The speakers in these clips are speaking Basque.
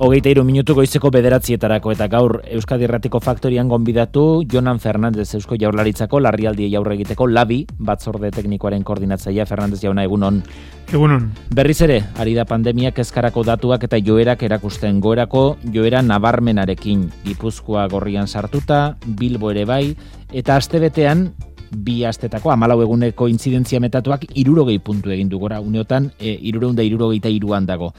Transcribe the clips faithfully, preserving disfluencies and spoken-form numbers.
Hogeita hiru minutu goizeko bederatzietarako eta gaur Euskadi Irratiko Faktorian gonbidatu Jonan Fernandez Eusko Jaurlaritzako larrialdiei aurre egiteko labi batzorde teknikoaren koordinatzailea. Fernandez jauna, egunon. Egunon. Berriz ere, ari da pandemiak kezkarako datuak eta joerak erakusten, goerako joera nabarmenarekin. Gipuzkoa gorrian sartuta, Bilbo ere bai, eta astebetean bi astetako hamalau eguneko intzidentzia metatuak hirurogei puntu egin du gora, uneotan e, hirurehun eta hirurogeita hiruan dago.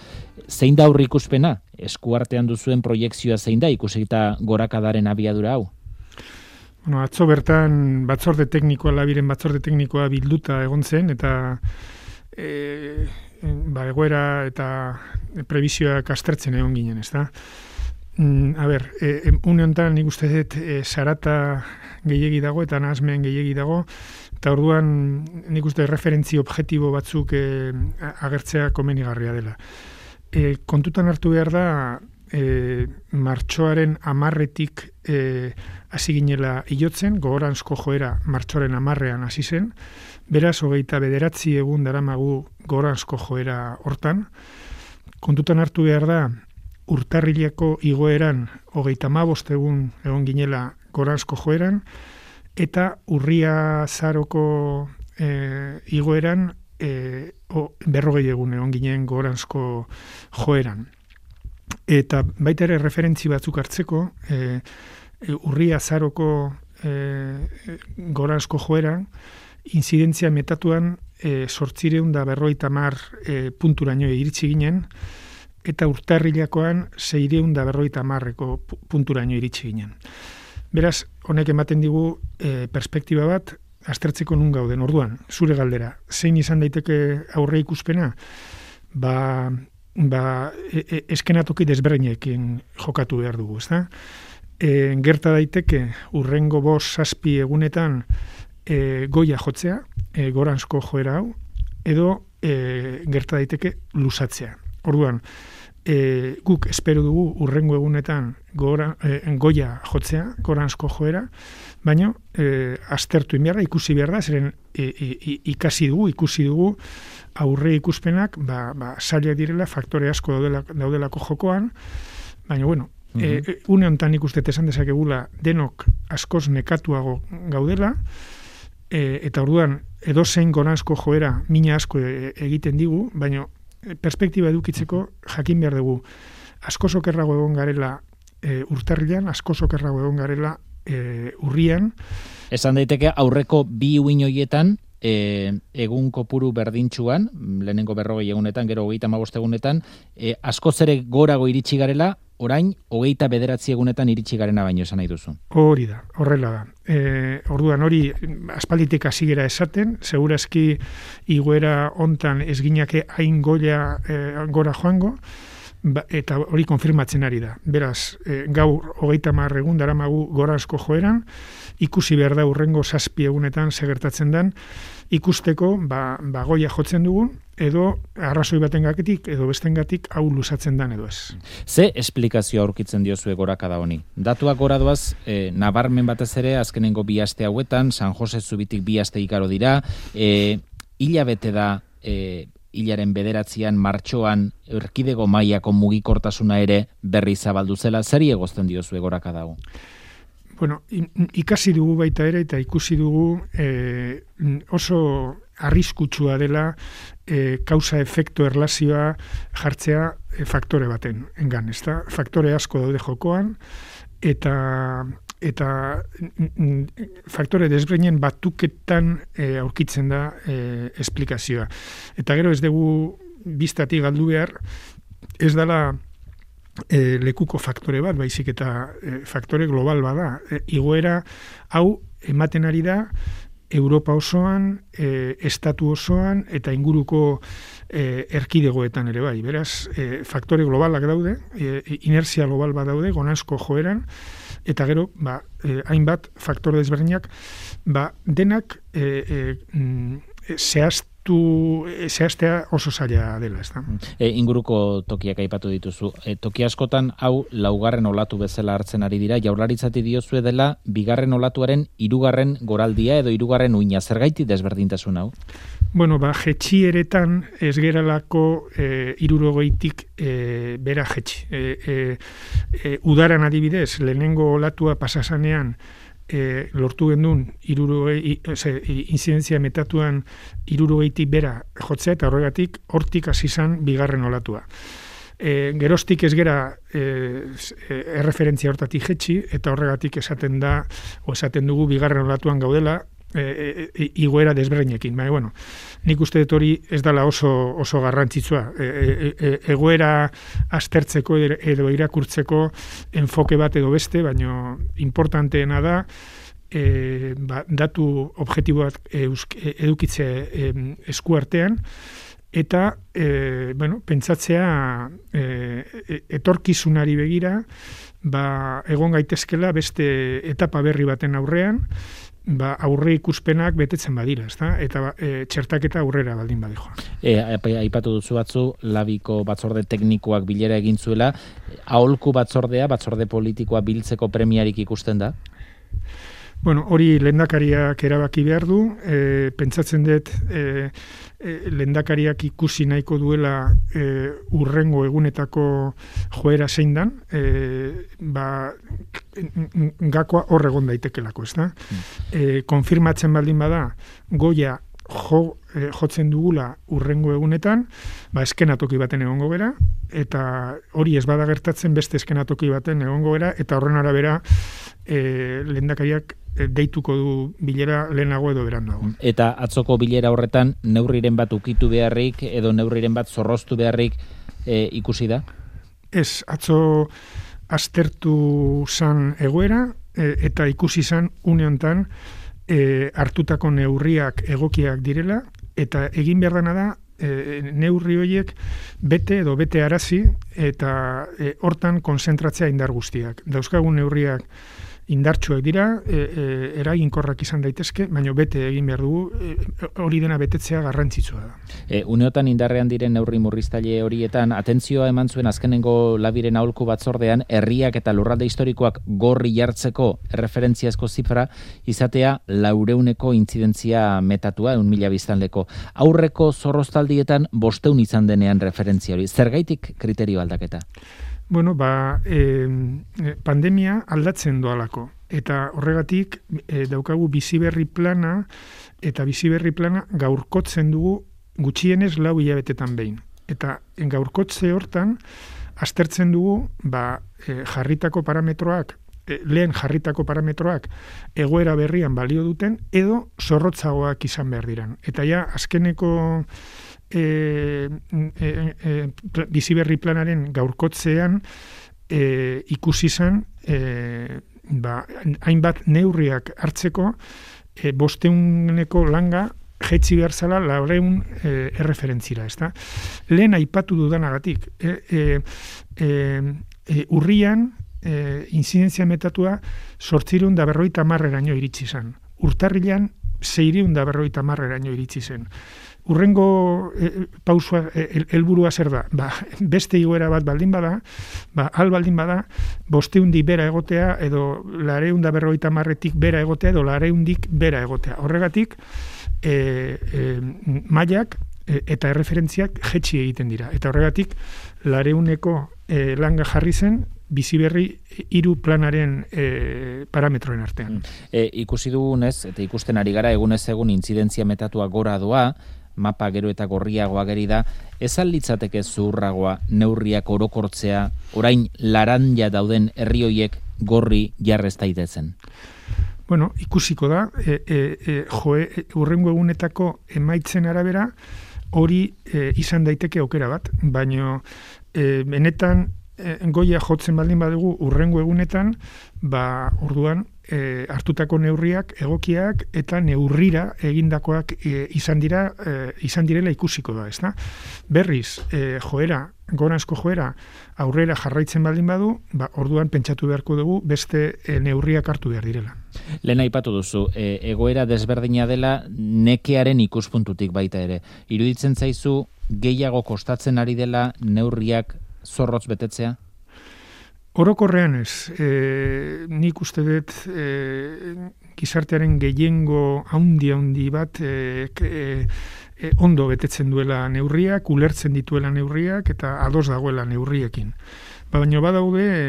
Zein da aurre ikuspena? Eskuartean duzuen proiekzioa zein da ikusita gorakadaren abiadura hau? Bueno, atzo bertan batzorde teknikoa, labiren batzorde teknikoa bilduta egon zen, eta e, ba, egoera eta prebizioak aztertzen egon ginen, ez da? Mm, a ber, e, une honetan nik uste dut e, sarata gehiegi dago eta nahasmen gehiegi dago, eta orduan nik uste referentzi objektibo batzuk e, agertzea komenigarria dela. E, kontutan hartu behar da, e, martxoaren amarretik e, hasi ginela hilotzen, gogoranzko joera martxoaren amarrean hasi zen, beraz, hogeita bederatzi egun daramagu gogoranzko joera hortan. Kontutan hartu behar da, urtarrileko igoeran hogeita hamabost egun egon ginela goranzko joeran, eta urria zaroko e, igoeran e, o, berrogei egun egon ginen goranzko joeran. Eta baita ere referentzi batzuk hartzeko, e, e, urria zaroko e, goranzko joeran, inzidentzia metatuan e, sortzireun da berroita mar e, punturaino iritsi ginen, eta urtarrilakoan seireun da berroita marreko punturaino iritsi ginen. Beraz, honek ematen digu e, perspektiba bat, aztertzeko nun gauden. Orduan, zure galdera, zein izan daiteke aurre ikuspena? Ba, ba e, e, eskenatoki desberdinekin jokatu behar dugu, ezta? E, gerta daiteke urrengo bost zazpi egunetan e, goia jotzea, e, goranzko joera hau, edo e, gerta daiteke luzatzea. Orduan, e, guk espero dugu urrengo egunetan gora, e, goia jotzea, goranzko joera, baina e, aztertu inbiarra, ikusi behar da, zeren e, e, ikasi dugu, ikusi dugu aurre ikuspenak, ba, ba, zailak direla, faktore asko daudela, daudelako jokoan, baina, bueno, mm-hmm. e, une honetan ikuste esan dezakegula denok askoz nekatuago gaudela, e, eta orduan edozein goranzko joera mina asko e, egiten digu, baina perspektiba edukitzeko jakin behar dugu askoz okerrago egon garela e, urtarrilan, askoz okerrago egon garela e, urrian. Esan daiteke aurreko bi uin horietan e, egun kopuru berdintsuan, lehenengo berrogei egunetan, gero hogeita hamabost egunetan, e, askoz ere gorago iritsi garela, orain hogeita bederatzi egunetan iritsi garena baino esan nahi duzu. Hori da, horrela da. E, orduan hori aspalditik hasi gera esaten, segurazki igoera hontan ez ginake hain goia e, gora joango, ba, eta hori konfirmatzen ari da. Beraz, e, gaur hogeita hamar egun daramagu goranzko joeran, ikusi behar da urrengo zazpi egunetan segertatzen den, ikusteko ba, ba goia jotzen dugun, edo arrazoi batengatik edo bestengatik hau luzatzen dan edo ez. Ze esplikazio aurkitzen diozue gorakada honi? Datuak gora doaz, e, nabarmen batez ere, azkenengo bi aste hauetan, San Jose Zubitik bi aste ikaro dira, e, hilabete da, e, hilaren bederatzian, martxoan, erkidego mailako mugikortasuna ere berri zabaldu zela, zeri egozten diozue gorakada hau? Bueno, ikasi dugu baita ere eta ikusi dugu e, oso arriskutsua dela e, kausa-efektu erlazioa jartzea e, faktore baten engan, ezta? Faktore asko daude jokoan eta eta faktore desberdinen batuketan e, aurkitzen da e, esplikazioa. Eta gero ez dugu biztatik galdu behar, ez dela E, lekuko faktore bat, baizik eta e, faktore global bada. E, igoera hau ematen ari da Europa osoan, e, estatu osoan eta inguruko e, erkidegoetan ere bai. Beraz, e, faktore globalak daude, e, inertzia global bat daude, goranzko joeran, eta gero, ba, e, hainbat faktore desberdinak, ba, denak e, e, mm, zehazten zehaztu, zehaztea oso zaila dela, ez da. E, inguruko tokiak aipatu dituzu. E, toki askotan hau laugarren olatu bezala hartzen ari dira, jaurlaritzati diozue dela bigarren olatuaren hirugarren goraldia edo hirugarren uina. Zergaiti desberdintasun hau? Bueno, ba, jetxieretan ez geralako e, hirurogeitik e, bera jetxi. E, e, e, udaran adibidez, lehenengo olatua pasasanean E, lortu gendun inzidentzia metatuan hirurogeitik bera jotzea eta horregatik hortik hasi izan bigarren olatua. E, geroztik ez gera e, erreferentzia hortatik jetxi eta horregatik esaten da o esaten dugu bigarren olatuan gaudela e, e, igoera desberdinekin. Baina, bueno, nik uste dut hori ez dela oso, oso garrantzitsua. E, e, e, egoera aztertzeko edo irakurtzeko enfoke bat edo beste, baina importanteena da e, ba, datu objektiboak edukitze e, esku artean, eta e, bueno, pentsatzea e, etorkizunari begira ba, egon gaitezkela beste etapa berri baten aurrean, ba, aurre ikuspenak betetzen badira, ezta? Eta e, txertaketa aurrera baldin badejoa. E, aipatu duzu batzu, labiko batzorde teknikoak bilera egin zuela, aholku batzordea, batzorde politikoa biltzeko premiarik ikusten da? Bueno, hori lehendakariak erabaki behar du, e, pentsatzen dut e, e, lehendakariak ikusi nahiko duela e, urrengo egunetako joera zein dan, e, ba, gakoa hor egon daitekelako, ez da? E, konfirmatzen baldin bada, goia jo, e, jotzen dugula urrengo egunetan, ba, eskenatoki baten egongo gera, eta hori ez bada gertatzen beste eskenatoki baten egongo gera, eta horren arabera e, lehendakariak deituko du bilera lehenago edo berandago. Eta atzoko bilera horretan neurriren bat ukitu beharrik edo neurriren bat zorroztu beharrik e, ikusi da? Ez, atzo aztertu zan egoera e, eta ikusi zan une hontan e, hartutako neurriak egokiak direla eta egin behar dena da e, neurri horiek bete edo bete arazi eta e, hortan konzentratzea indar guztiak. Dauzkagun neurriak indartsuak dira, e, e, eraginkorrak izan daitezke, baina bete egin behar dugu, e, hori dena betetzea garrantzitsua da. E, uneotan indarrean diren neurri murriztaile horietan, atentzioa eman zuen azkenengo labiren aholku batzordean, herriak eta lurralde historikoak gorri jartzeko erreferentziazko zifra, izatea laureuneko intzidentzia metatua, eun mila biztanleko. Aurreko zorroztaldietan bosteun izan denean referentzia hori. Zergaitik kriterio aldaketa? Bueno, ba, e, pandemia aldatzen doalako. Eta horregatik e, daukagu biziberri plana eta biziberri plana gaurkotzen dugu gutxienez lau hilabetetan behin. Eta gaurkotze hortan aztertzen dugu ba, e, jarritako parametroak, e, lehen jarritako parametroak egoera berrian balio duten edo zorrotzagoak izan behar diran. Eta ja, azkeneko E, e, e, biziberri planaren gaurkotzean e, ikusi izan e, ba, hainbat neurriak hartzeko e, bosteuneko langa jetzi behar zala laureun e, erreferentzira, ezta? Lehen aipatu dudanagatik, e, e, e, e, urrian e, inzidentzia metatua zortzireun da berroita marreraino iritsi zen. Urtarrilan zeireun da berroita marreraino iritsi zen. Urrengo e, pausua, helburua zer da? Ba, beste igoera bat baldin bada, ba, al baldin bada, bosteundi bera egotea, edo lareunda berroita marretik bera egotea, edo lareundik bera egotea. Horregatik, e, e, mailak e, eta erreferentziak jetxi egiten dira. Eta horregatik, lareuneko e, langa jarri zen, biziberri hiru planaren e, parametroen artean. E, ikusi dugunez, eta ikusten ari gara, egunez egun intzidentzia metatua gora doa, mapa gero eta gorriagoa geri da, ez litzateke zuhurragoa neurriak orokortzea, orain laranja dauden herri horiek gorri jarrez daitezen? Bueno, ikusiko da, e, e, e, joe, e, urrengo egunetako emaitzen arabera, hori e, izan daiteke aukera bat, baino e, benetan e, goia jotzen baldin badugu urrengo egunetan, ba, orduan, e, hartutako neurriak, egokiak eta neurrira egindakoak e, izan dira, e, izan direla ikusiko da, ezta? Berriz, e, joera, goranzko joera, aurrera jarraitzen baldin badu, ba, orduan pentsatu beharko dugu beste e, neurriak hartu behar direla. Lehen aipatu duzu, e, egoera desberdina dela nekearen ikuspuntutik baita ere. Iruditzen zaizu gehiago kostatzen ari dela neurriak zorrotz betetzea? Orokorrean ez, e, nik uste dut e, gizartearen gehiengo haundi-haundi bat e, e, e, ondo betetzen duela neurriak, ulertzen dituela neurriak eta ados dagoela neurriekin. Ba, baina badaude e,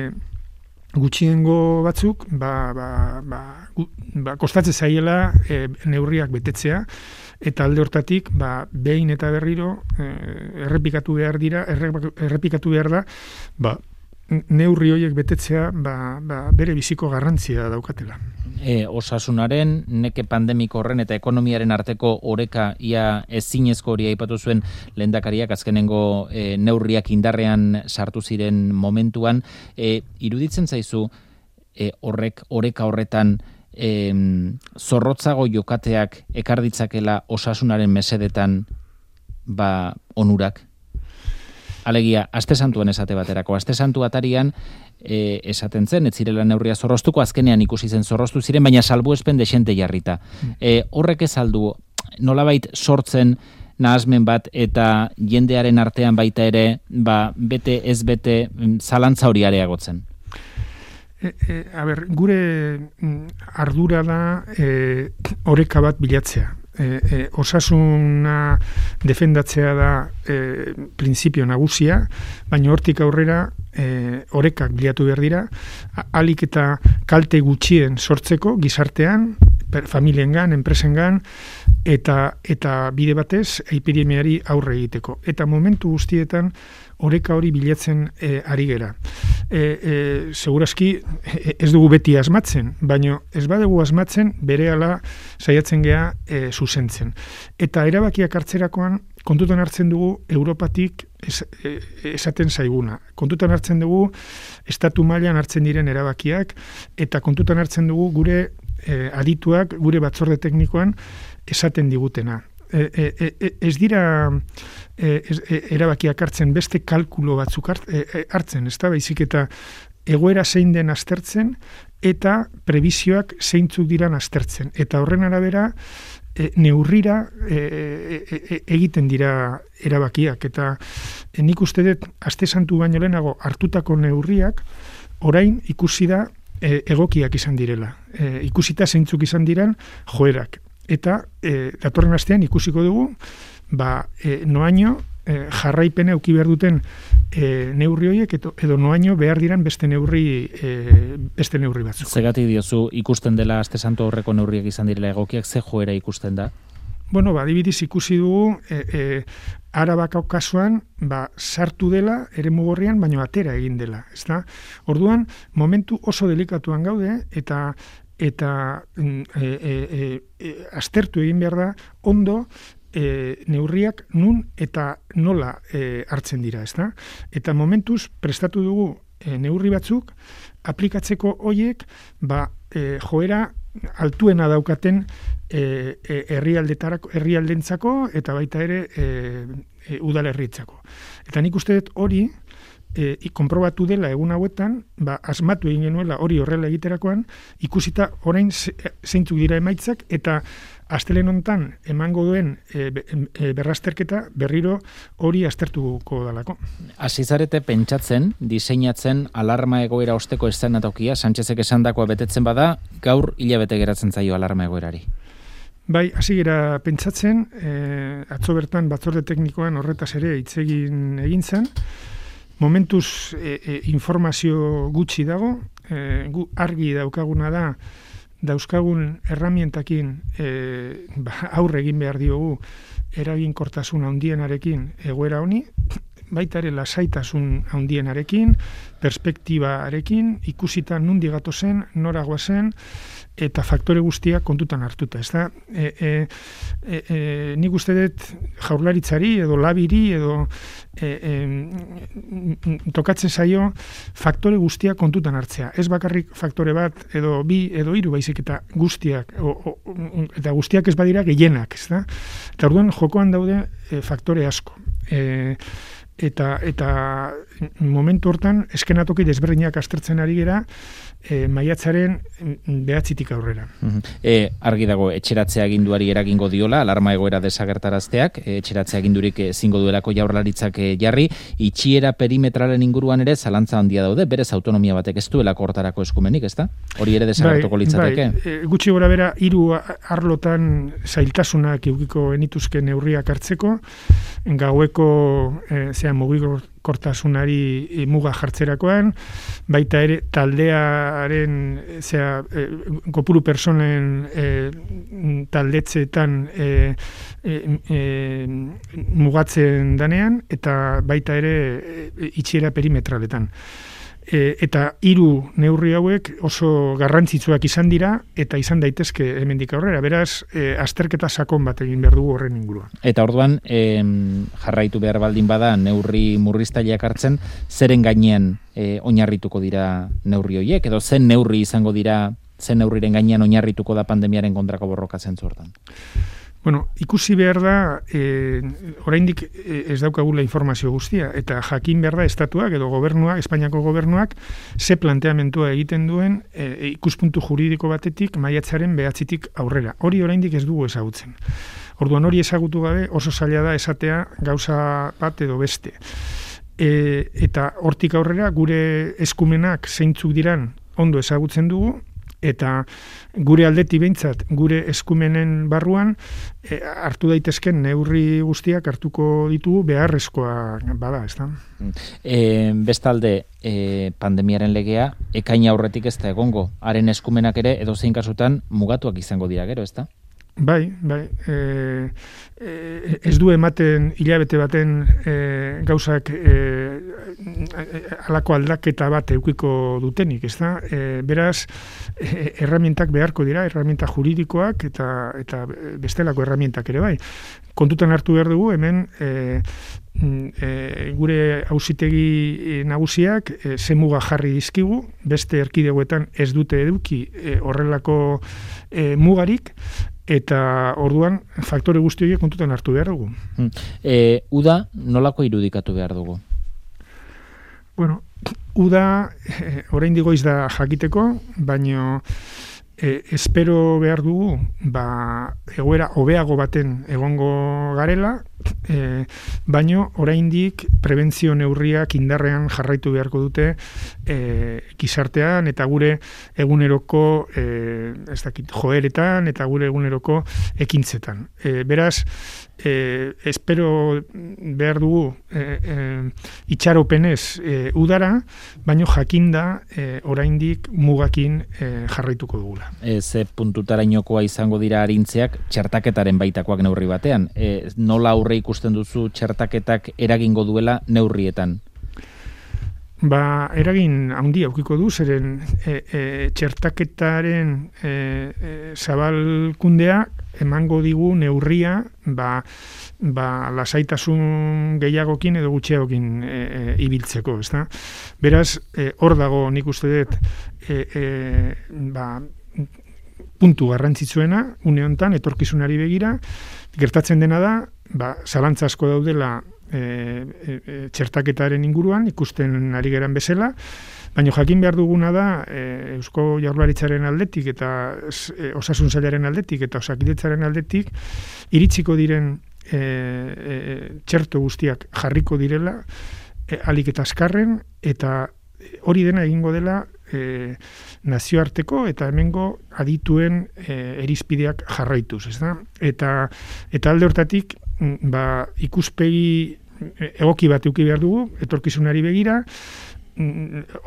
gutxiengo batzuk, ba, ba, ba, gu, ba, kostatzen zaiela e, neurriak betetzea, eta alde hortatik, ba, behin eta berriro e, errepikatu behar dira, errepikatu behar da, ba, neurri horiek betetzea ba, ba, bere biziko garrantzia daukatela. E, osasunaren, neke pandemiko horren eta ekonomiaren arteko oreka ia ezinezko hori aipatu zuen lehendakariak azkenengo e, neurriak indarrean sartu ziren momentuan. E, iruditzen zaizu e, horrek oreka horretan e, zorrotzago jokateak ekar ditzakela osasunaren mesedetan ba, onurak? Alegia, aste santuan esate baterako. Aste santu atarian e, esaten zen, ez zirela neurria zorroztuko, azkenean ikusi zen zorroztu ziren, baina salbuespen desente jarrita. E, horrek ez aldu, nolabait sortzen nahasmen bat eta jendearen artean baita ere, ba, bete ez bete zalantza hori areagotzen. E, e, a ber, gure ardura da e, oreka bat bilatzea. E, e, osasuna defendatzea da e, printzipio nagusia, baina hortik aurrera e, orekak bilatu behar dira, alik eta kalte gutxien sortzeko gizartean, per, familiengan, enpresengan, eta eta bide batez epidemiari aurre egiteko. Eta momentu guztietan oreka hori bilatzen e, ari gera. E, e, segurazki e, ez dugu beti asmatzen, baina ez badugu asmatzen berehala saiatzen gea e, zuzentzen. Eta erabakiak hartzerakoan kontutan hartzen dugu Europatik es, e, esaten zaiguna. Kontutan hartzen dugu estatu mailan hartzen diren erabakiak eta kontutan hartzen dugu gure e, adituak, gure batzorde teknikoan esaten digutena. E, e, e, ez dira e, ez, e, erabakiak hartzen beste kalkulo batzuk hart, e, hartzen, ez da, baizik eta egoera zein den aztertzen eta prebizioak zeintzuk diran aztertzen. Eta horren arabera e, neurrira e, e, e, egiten dira erabakiak. Eta e, nik uste dut aste santu baino lehenago hartutako neurriak orain ikusi da e, egokiak izan direla. E, ikusita zeintzuk izan diran joerak. Eta e, datorren astean ikusiko dugu ba, e, noaino e, jarraipena eduki behar duten e, neurri horiek edo, edo noaino behar diran beste neurri e, beste neurri batzuk. Zegatik diozu ikusten dela aste santu horreko neurriak izan direla egokiak, ze joera ikusten da? Bueno, ba, adibidez ikusi dugu e, e, Arabako kasuan ba, sartu dela eremu gorrian, baino atera egin dela. Ezta? Orduan, momentu oso delikatuan gaude eta eta e, e, e, aztertu egin behar da ondo e, neurriak nun eta nola e, hartzen dira, ezta? Eta momentuz prestatu dugu e, neurri batzuk aplikatzeko hoiek ba, e, joera altuena daukaten e, e, herrialdetarako, herrialdentzako eta baita ere e, e, udalerritzako. Eta nik uste dut hori E, konprobatu dela egun hauetan, ba, asmatu egin genuela hori horrela egiterakoan, ikusita orain zeintzuk dira emaitzak, eta astelen hontan emango duen e, e, berrazterketa berriro hori aztertuko dalako. Hasi zarete pentsatzen, diseinatzen alarma egoera osteko eszenatokia, Sánchezek esandakoa betetzen bada, gaur hilabete geratzen zaio alarma egoerari. Bai, hasi gera pentsatzen, e, atzo bertan batzorde teknikoan horretaz ere hitz egin egin zen. Momentuz e, e, informazio gutxi dago, e, gu argi daukaguna da, dauzkagun erramientakin e, ba, aurre egin behar diogu eraginkortasun handienarekin egoera honi, baita ere lasaitasun handienarekin, perspektibarekin, ikusita nundi gatozen, nora goazen, eta faktore guztiak kontutan hartuta, ez da? E, e, e, e, nik uste dut jaurlaritzari edo labiri edo e, e, tokatzen zaio faktore guztiak kontutan hartzea. Ez bakarrik faktore bat edo bi edo hiru baizik eta guztiak, o, o, eta guztiak ez badira gehienak, ez da? Eta orduan jokoan daude e, faktore asko. E, eta eta momentu hortan eskenatoki desberdinak aztertzen ari gera e, maiatzaren behatzitik aurrera. E, argi dago, etxeratzea aginduari eragingo diola, alarma egoera desagertarazteak, e, etxeratzea agindurik ezingo duelako jaurlaritzak e, jarri, itxiera perimetralen inguruan ere zalantza handia daude, berez autonomia batek ez duelako hortarako eskumenik, ezta? Hori ere desagertuko litzateke? Bai, e, gutxi gora bera, hiru arlotan zailtasunak edukiko genituzke neurriak hartzeko, gaueko e, zea mugikortasunari muga jartzerakoan, baita ere taldearen zera, e, kopuru personen e, taldetzeetan e, e, e, mugatzen danean, eta baita ere e, itxiera perimetraletan. E, eta hiru neurri hauek oso garrantzitsuak izan dira eta izan daitezke hemendik aurrera. Beraz, e, azterketa sakon bat egin behar dugu horren inguruan. Eta orduan, e, jarraitu behar baldin bada neurri murriztaileak hartzen, zeren gainean e, oinarrituko dira neurri horiek, edo zen neurri izango dira, zen neurriren gainean oinarrituko da pandemiaren kontrako borroka zentzu hortan? Bueno, ikusi behar da, e, oraindik ez daukagula informazio guztia, eta jakin behar da estatuak edo gobernuak, Espainiako gobernuak, ze planteamentua egiten duen e, ikuspuntu juridiko batetik maiatzaren behatzitik aurrera. Hori oraindik ez dugu ezagutzen. Orduan hori ezagutu gabe oso zaila da esatea gauza bat edo beste. E, eta hortik aurrera gure eskumenak zeintzuk diran ondo ezagutzen dugu, eta gure aldetik behintzat, gure eskumenen barruan, e, hartu daitezken neurri guztiak hartuko ditugu beharrezkoa bada, ez da? E, bestalde, e, pandemiaren legea, ekaina aurretik ez da egongo, haren eskumenak ere, edozein kasutan, mugatuak izango dira gero, ez da? Bai, bai. E, e, ez du ematen hilabete baten e, gauzak e, halako aldaketa bat eukiko dutenik, ez da? E, beraz, e, erramientak beharko dira, erramienta juridikoak eta eta bestelako erramientak ere bai. Kontutan hartu behar dugu, hemen e, e, gure auzitegi nagusiak e, ze muga jarri dizkigu, beste erkidegoetan ez dute eduki e, horrelako e, mugarik, eta orduan faktore guzti horiek kontutan hartu behar dugu. E, uda nolako irudikatu behar dugu? Bueno, uda e, orain digoiz da jakiteko, baino e, espero behar dugu ba, egoera hobeago baten egongo garela, e, baino oraindik prebentzio neurriak indarrean jarraitu beharko dute e, gizartean eta gure eguneroko e, ez dakit, joeretan eta gure eguneroko ekintzetan. E, beraz, e, espero behar dugu e, e, itxaropenez e, udara, baino jakinda e, oraindik mugakin e, jarraituko dugula. E, ze puntutarainokoa izango dira arintzeak txertaketaren baitakoak neurri batean. E, nola aurre ikusten duzu txertaketak eragingo duela neurrietan? Ba, eragin handia aukiko du, zeren e, e, txertaketaren e, e, zabalkundea emango digu neurria ba, ba, lasaitasun gehiagokin edo gutxiagokin e, e, ibiltzeko, ezta? Beraz, e, hor dago nik uste dut e, e, ba, puntu garrantzitsuena, une honetan, etorkizunari begira, gertatzen dena da, ba, zalantza asko daudela e, e, e, txertaketaren inguruan, ikusten ari geran bezala, baina jakin behar duguna da e, Eusko Jaurlaritzaren aldetik eta e, Osasun Sailaren aldetik eta Osakidetzaren aldetik iritsiko diren e, e, txerto guztiak jarriko direla e, alik eta azkarren, eta hori dena egingo dela e, nazioarteko eta hemengo adituen e, erizpideak jarraituz, ez da? Eta, eta alde hortatik ba, ikuspegi egoki bat eduki behar dugu, etorkizunari begira,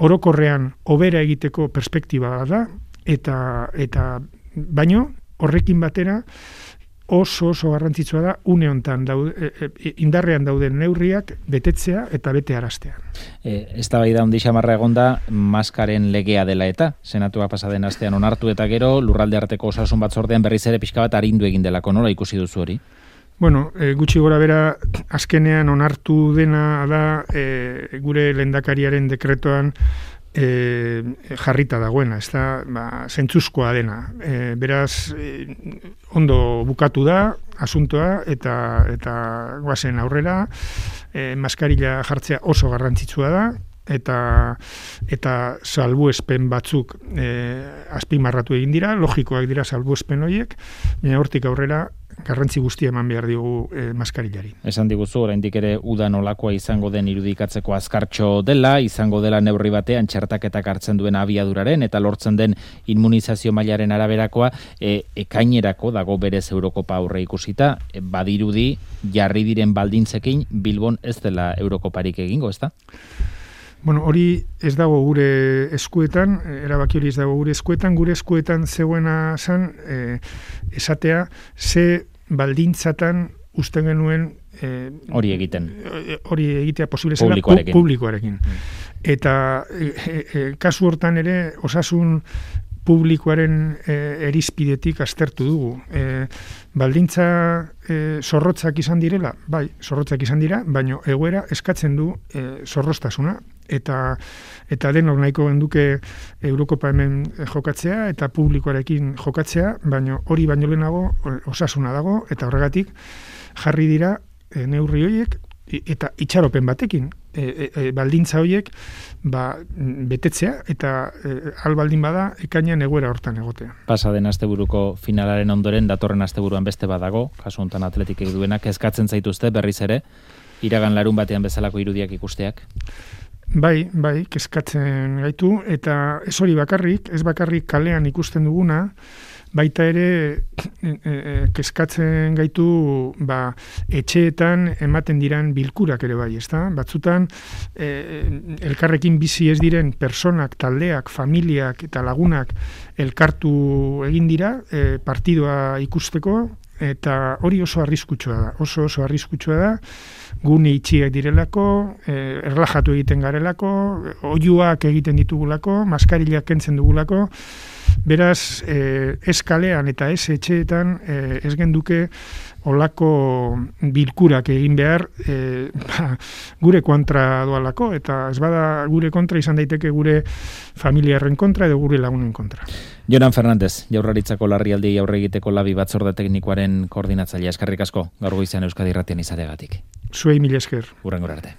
orokorrean hobera egiteko perspektiba da, eta, eta baino horrekin batera oso oso garrantzitsua da une hontan daude, e, e, indarrean dauden neurriak betetzea eta bete araztea. E, eztabaida handi xamarra egonda maskaren legea dela eta senatua pasaden astean onartu eta gero lurralde arteko osasun batzordean berriz ere pixka bat arindu egin delako, nola ikusi duzu hori? Bueno, e, gutxi gora bera azkenean onartu dena da e, gure lehendakariaren dekretoan E, jarrita dagoena, ez da, ba, zentzuzkoa dena. E, beraz, e, ondo bukatu da, asuntoa, eta eta guazen aurrera, e, maskarila jartzea oso garrantzitsua da, eta eta salbuespen batzuk e, azpimarratu egin dira, logikoak dira salbuespen horiek, baina hortik aurrera garrantzi guztia eman behar digu e, maskarilari. Esan diguzu, oraindik ere uda nolakoa izango den irudikatzeko azkartxo dela, izango dela neurri batean txertaketak hartzen duen abiaduraren eta lortzen den immunizazio mailaren araberakoa, e, ekainerako dago berez Eurokopa aurre ikusita, e, badirudi jarri diren baldintzekin Bilbon ez dela Eurokoparik egingo, ezta? Bueno, hori ez dago gure eskuetan, erabaki hori ez dago gure eskuetan, gure eskuetan zegoena zan, e, esatea, ze baldintzatan uste genuen e, hori egiten. Hori egitea posible zela publikoarekin. Pu, publikoarekin. Mm. Eta e, e, kasu hortan ere osasun publikoaren e, erizpidetik aztertu dugu. E, baldintza e, zorrotzak izan direla, bai, zorrotzak izan dira, baina egoera eskatzen du e, zorroztasuna. Eta eta denok nahiko genduke Eurokopa hemen jokatzea eta publikoarekin jokatzea, baina hori baino lehenago osasuna dago, eta horregatik jarri dira e, neurri horiek eta itxaropen batekin. E, e, baldintza horiek ba, betetzea eta e, albaldin bada ekainean egoera hortan egotea. Pasa den asteburuko finalaren ondoren datorren asteburuan beste badago, kasu honetan Atletikek duenak, eskatzen zaituzte berriz ere iragan larun batean bezalako irudiak ikusteak. Bai, bai, kezkatzen gaitu, eta ez hori bakarrik, ez bakarrik kalean ikusten duguna, baita ere e, e, kezkatzen gaitu ba, etxeetan ematen diran bilkurak ere bai, ezta? Batzutan e, elkarrekin bizi ez diren personak, taldeak, familiak eta lagunak elkartu egin dira e, partidua ikusteko, eta hori oso arriskutsua da, oso oso arriskutsua da, gune itxiak direlako, eh, erlajatu egiten garelako, oihuak egiten ditugulako, maskarilak kentzen dugulako, beraz, eh, ez kalean eta ez etxeetan eh, ez genduke olako bilkurak egin behar e, ba, gure kontra doalako, eta ez bada gure kontra izan daiteke gure familiarren kontra edo gure lagunen kontra. Jonan Fernandez, Jaurlaritzako larrialdiei aurre egiteko labi batzorde teknikoaren koordinatzailea, eskerrik asko gaur goizean Euskadi Irratian izateagatik. Zuei mila esker. Hurrengora arte.